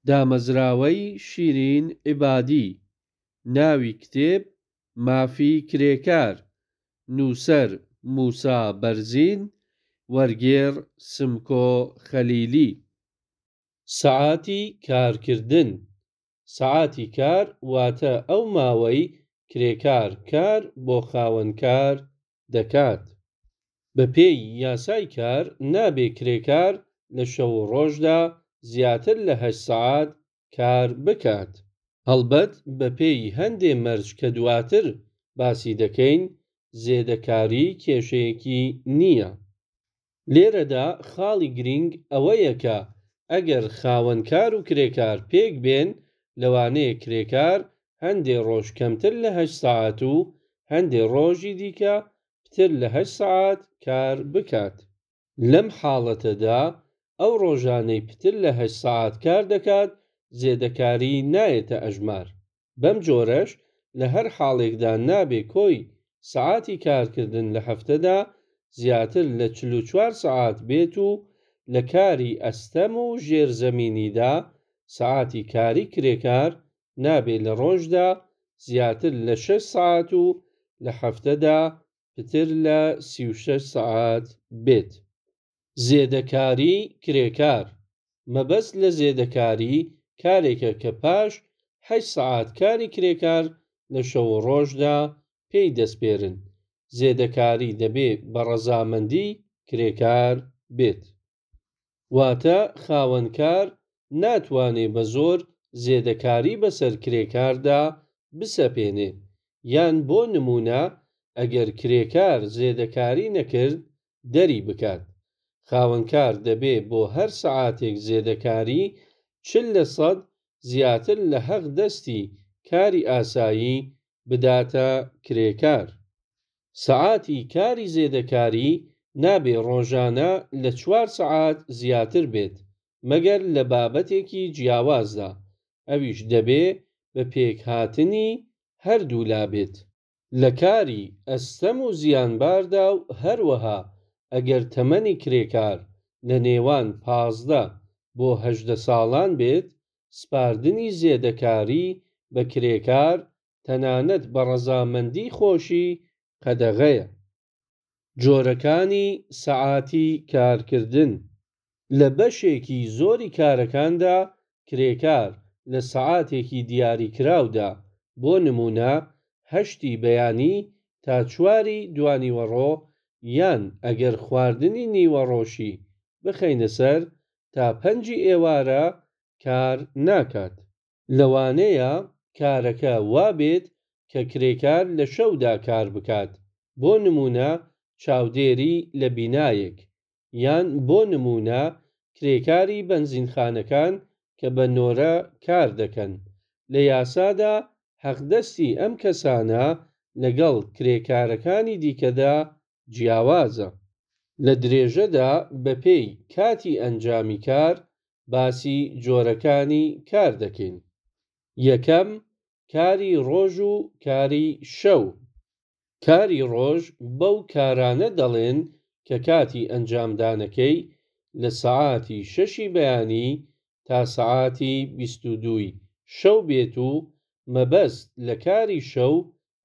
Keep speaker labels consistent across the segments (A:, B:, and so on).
A: دامەزراوەی شیرین عیبادی، ناوی کتێب، مافی کرێکار، نووسەر، موسا بەرزین، وەرگێڕ، سمکۆ خەلیلی. سەعاتی کارکردن سەعاتی کار واتە ئەو ماوەی کرێکار کار بۆ خاوەنکار دەکات. بەپێی یاسای کار نابێ کرێکار لە شەو و ڕۆژدا زیاتر لە 8 سەعات کار بکات. هەڵبەت بەپێی هەندێ مەرج کە دواتر باسی دەکەین زێدەکاری کێشەیەکی نییە. لێرەدا خاڵی گرینگ ئەوەیە کە ئەگەر خاوەنکار و کرێکار پێک بێن لەوانەیە کرێکار هەندێ ڕۆژ کەمتر لە 8 سەعات و هەندێ ڕۆژی دیکە پتر لە 8 سەعات کار بکات. لەم حاڵەتەدا ئەو ڕۆژانەی پتر لە 8 سەعات کار دەکات زێدەکاری نایەتە ئەژمار. بەم جۆرەش لە هەر حاڵێکدا نابێ کۆی سەعاتی کارکردن لە هەفتەدا زیاتر لە 44 سەعات بێت و لە کاری ئەستەم و ژێرزەمینیدا سەعاتی کاری کرێکار نابێ لە ڕۆژدا زیاتر لە 6 سەعات و لە هەفتەدا پتر لە 36 سەعات بێت. زێدەکاریی کرێکار، مەبەست لە زێدەکاری کارێکە کە پاش 8 سەعات کاری کرێکار لە شەو و ڕۆژدا پێی دەسپێرن. زێدەکاری دەبێ بە ڕەزامەندیی کرێکار بێت. واتە خاوەنکار ناتوانێ بە زۆر زێدەکاری بەسەر کرێکاردا بسەپێنێ، یان بۆ نموونە ئەگەر کرێکار زێدەکاری نەکرد دەری بکات. خاوەنکار دەبێ بۆ هەر سەعاتێک زێدەکاری 40 لە سەد زیاتر لە حەقدەستی کاری ئاسایی بداتە کرێکار. سەعاتی کاری زێدەکاری نابێ ڕۆژانە لە 4 سەعات زیاتر بێت مەگەر لە بابەتێکی جیاوازدا، ئەویش دەبێ بە پێکهاتنی هەردوولا بێت. لە کاری ئەستەم و زیانباردا و هەروەها ئەگەر تەمەنی کرێکار لە نێوان 15 بۆ 18 ساڵان بێت، سپاردنی زێدەکاری بە کرێکار تەنانەت بە ڕەزامەندیی خۆشی قەدەغەیە. جۆرەکانی سەعاتی کارکردن. لە بەشێکی زۆری کارەکاندا کرێکار لە سەعاتێکی دیاریکراودا، بۆ نموونە هەشتی بەیانی تا چواری دوانیوەڕۆ یان ئەگەر خواردنی نیوەڕۆشی بخەینە سەر تا پەنجی ئێوارە کار ناکات. لەوانەیە کارەکە وا بێت کە کرێکار لە شەودا کار بکات، بۆ نموونە چاودێری لە بینایەک، یان بۆ نموونە کرێکاری بەنزینخانەکان کە بە نۆرە کار دەکەن. لە یاسادا حەقدەستی ئەم کەسانە لەگەڵ کرێکارەکانی دیکەدا جیاوازە. لە درێژەدا بەپێی کاتی ئەنجامی کار باسی جۆرەکانی کار دەکەین. یەکەم، کاری ڕۆژ و کاری شەو. کاری ڕۆژ بەو کارانە دەڵێن کە کاتی ئەنجامدانەکەی لە سەعاتی شەشی بەیانی تا سەعاتی 22ی شەو بێت و مەبەست لە کاری شەو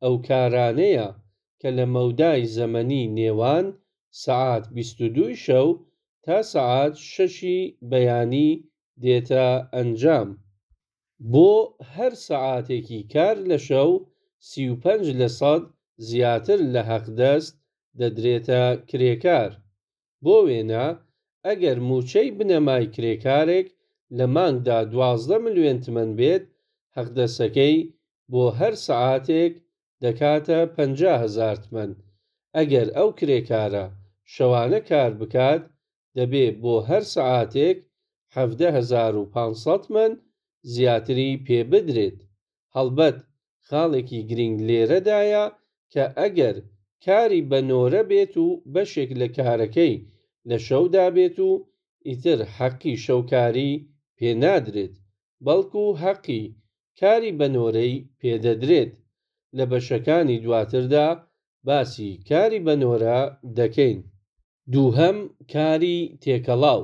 A: ئەو کارانەیە کە لە مەودای زەمەنی نێوان سەعات 22ی شەو تا سەعات شەشی بەیانی دێتە ئەنجام. بۆ هەر سەعاتێکی کار لە شەو 35 لە سەد زیاتر لە حەقدەست دەدرێتە کرێکار. بۆ وێنە ئەگەر مووچەی بنەمای کرێکارێک لە مانگدا 12 ملیۆن تمەن بێت، حەقدەستەکەی بۆ هەر سەعاتێک دەکاتە 50 هەزار تمەن. ئەگەر ئەو کرێکارە شەوانە کار بکات دەبێ بۆ هەر سەعاتێک 17,500 تمەن زیاتری پێ بدرێت. هەڵبەت خاڵێکی گرینگ لێرەدایە کە ئەگەر کاری بە نۆرە بێت و بەشێک لە کارەکەی لە شەودا بێت و ئیتر حەقی شەوکاری پێ نادرێت، بەڵکوو حەقی کاری بە نۆرەی پێ دەدرێت. لە بەشەکانی دواتردا باسی کاری بە نۆرە دەکەین. دووهەم، کاری تێکەڵاو.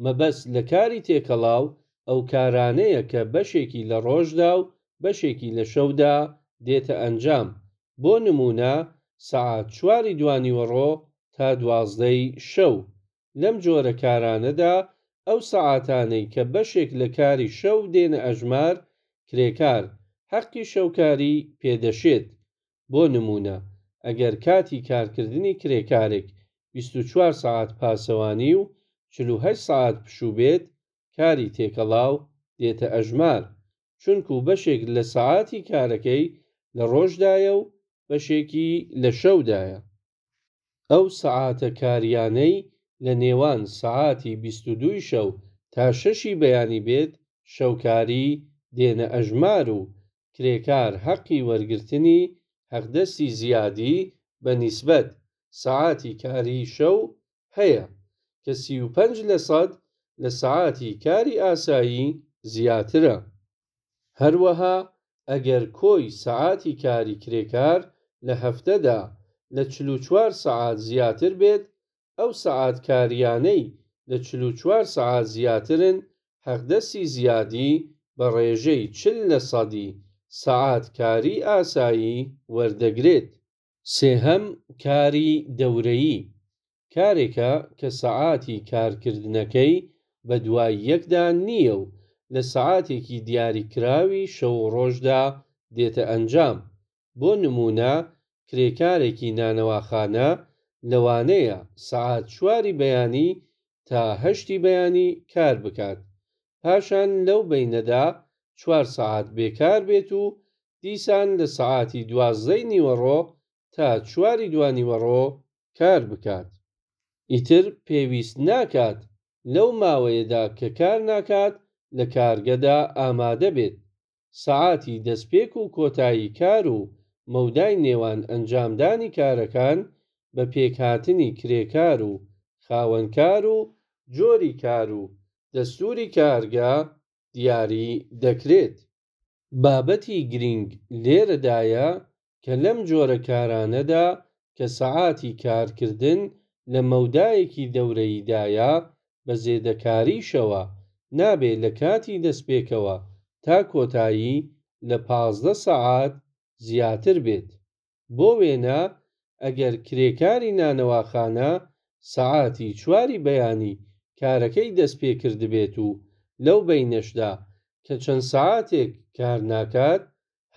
A: مەبەست لە کاری تێکەڵاو ئەو کارانەیە کە بەشێکی لە ڕۆژدا و بەشێکی لە شەودا دێتە ئەنجام، بۆ نموونە سەعات چواری دوانیوەڕۆ تا دوازدەی شەو. لەم جۆرە کارانەدا ئەو سەعاتانەی کە بەشێک لە کاری شەو دێنە ئەژمار، کرێکار حەقی شەوکاری پێ دەشێت. بۆ نموونە ئەگەر کاتی کارکردنی کرێکارێک 24 سەعات پاسەوانی و 48 سەعات پشوو بێت، کاری تێکەڵاو دێتە ئەژمار، چونکو بەشێک لە سەعاتی کارەکەی لە ڕۆژدایە و بەشێکی لە شەودایە. ئەو سەعاتە کاریانەی لە نێوان سەعاتی 22 ی شەو تا شەشی بەیانی بێت شەوکاری دێنە ئەژمار و کرێکار حەقی وەرگرتنی حەقدەستی زیادی بە نیسبەت سەعاتی کاری شەو هەیە کە 35 لەسەد لە سەعاتی کاری ئاسایی زیاترە. هەروەها ئەگەر کۆی سەعاتی کاری کرێکار لە هەفتەدا لە 44 سەعات زیاتر بێت، ئەو سەعات کاریانەی لە 44 سەعات زیاترن حەقدەستی زیادی بە ڕێژەی 40 لەسەدی سەعات کاری ئاسایی وەردەگرێت. سێهەم، کاری دەورەیی، کارێکە کە سەعاتی کارکردنەکەی بە دوای یەکدا نییە و لە سەعاتێکی دیاریکراوی شەو و ڕۆژدا دێتە ئەنجام. بۆ نموونە کرێکارێکی نانەواخانە لەوانەیە سەعات چواری بەیانی تا هەشتی بەیانی کار بکات، پاشان لەو بەینەدا چوار سەعات بێکار بێت و دیسان لە سەعاتی دوازدەی نیوەڕۆ تا چواری دوانیوەڕۆ کار بکات. ئیتر پێویست ناکات لەو ماوەیەدا کە کار ناکات لە کارگەدا ئامادە بێت. سەعاتی دەستپێک و کۆتایی کار و مەودای نێوان ئەنجامدانی کارەکان بە پێکهاتنی کرێکار و خاوەنکار و جۆری کار و دەستوری کارگە دیاری دەکرێت. بابەتی گرینگ لێرەدایە کە لەم جۆرە کارانەدا کە سەعاتی کارکردن لە مەودایەکی دەورەییدایە بە زێدەکاریشەوە نابێ لە کاتی دەستپێکەوە تا کۆتایی لە 15 سەعات زیاتر بێت. بۆ وێنە ئەگەر کرێکاری نانەواخانە سەعاتی چواری بەیانی کارەکەی دەست پێ کردبێت و لەو بەینەشدا کە چەند سەعاتێک کار ناکات،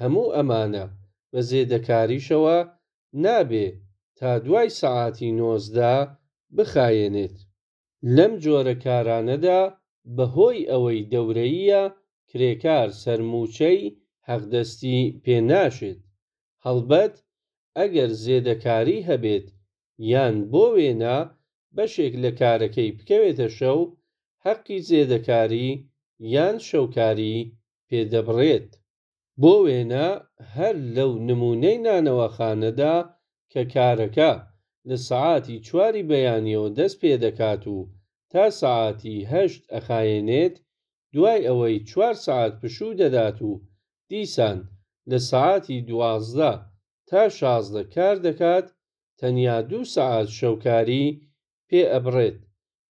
A: هەموو ئەمانە بە زێدەکاریشەوە نابێ تا دوای سەعاتی 19 بخایەنێت. لەم جۆرە کارانەدا بە هۆی ئەوەی دەورەییە کرێکار سەرمووچەی حەقدەستی پێ ناشێت. هەڵبەت ئەگەر زێدەکاری هەبێت یان بۆ وێنە بەشێک لە کارەکەی بکەوێتە شەو، حەقی زێدەکاری یان شەوکاری پێ دەبڕێت. بۆ وێنە هەر لەو نموونەی نانەواخانەدا کە کارەکە لە سەعاتی چواری بەیانیەوە دەست پێ دەکات و تا سەعاتی هەشت ئەخایەنێت، دوای ئەوەی چوار سەعات پشوو دەدات و دیسان لە سەعاتی 12 تا 16 کار دەکات، تەنیا دوو سەعات شەوکاری پێ ئەبڕێت،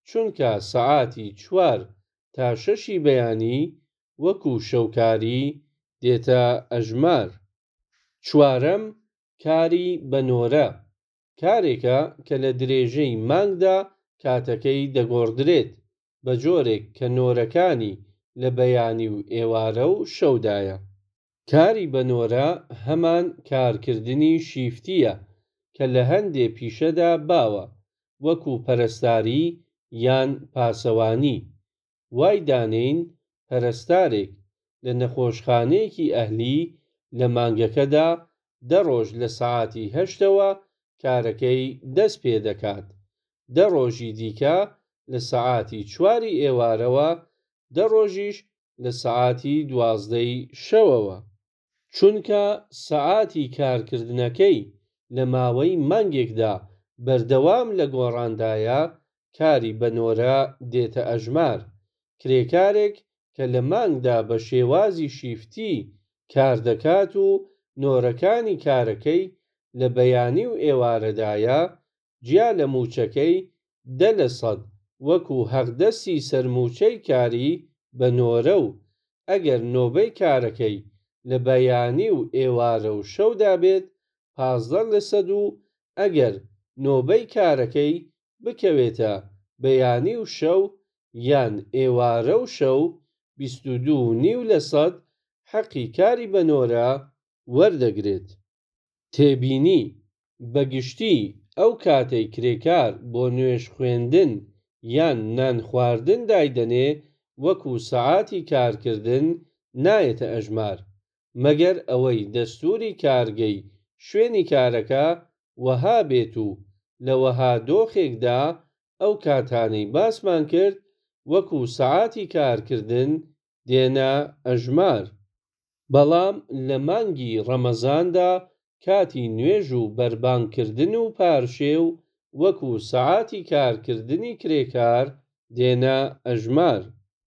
A: چونکە سەعاتی چوار تا شەشی بەیانی وەکو شەوکاری دێتە ئەژمار. چوارەم، کاری بە نۆرە، کارێکە کە لە درێژەی مانگدا کاتەکەی دەگۆڕدرێت، بە جۆرێک کە نۆرەکانی لە بەیانی و ئێوارە و شەودایە. کاری بە نۆرە هەمان کارکردنی شیفتییە کە لە هەندێ پیشەدا باوە، وەکو پەرستاری یان پاسەوانی. وای دانێین پەرستارێک لە نەخۆشخانەیەکی ئەهلی لە مانگەکەدا دە ڕۆژ لە سەعاتی هەشتەوە کارەکەی دەست پێ دەکات، دە ڕۆژی دیکە لە سەعاتی چواری ئێوارەوە، دە ڕۆژیش لە سەعاتی دوازدەی شەوەوە. چونکە سەعاتی کارکردنەکەی لە ماوەی مانگێکدا بەردەوام لە گۆڕاندایە، کاری بە نۆرە دێتە ئەژمار. کرێکارێک کە لە مانگدا بە شێوازی شیفتی کار دەکات و نۆرەکانی کارەکەی لە بەیانی و ئێوارەدایە، جیا لە مووچەکەی 10% وەکو حەقدەستی سەرمووچەی کاری بە نۆرە و ئەگەر نۆبەی کارەکەی لە بەیانی و ئێوارە و شەودا بێت 15 لەسەد و ئەگەر نۆبەی کارەکەی بکەوێتە بەیانی و شەو یان ئێوارە و شەو 22 و نیو لەسەد حەقی کاری بە نۆرە وەردەگرێت. تێبینی، بە گشتی ئەو کاتەی کرێکار بۆ نوێژ خوێندن یان نان خواردن دایدەنێ وەکو سەعاتی کارکردن نایەتە ئەژمار، مەگەر ئەوەی دەستوری کارگەی شوێنی کارەکە وەها بێت و لە وەها دۆخێکدا ئەو کاتانەی باسمان کرد وەکو سەعاتی کارکردن دێنە ئەژمار. بەڵام لە مانگی ڕەمەزاندا کاتی نوێژ و بەربانگ کردن و پارشێو وەکو سەعاتی کارکردنی کرێکار دێنە ئەژمار.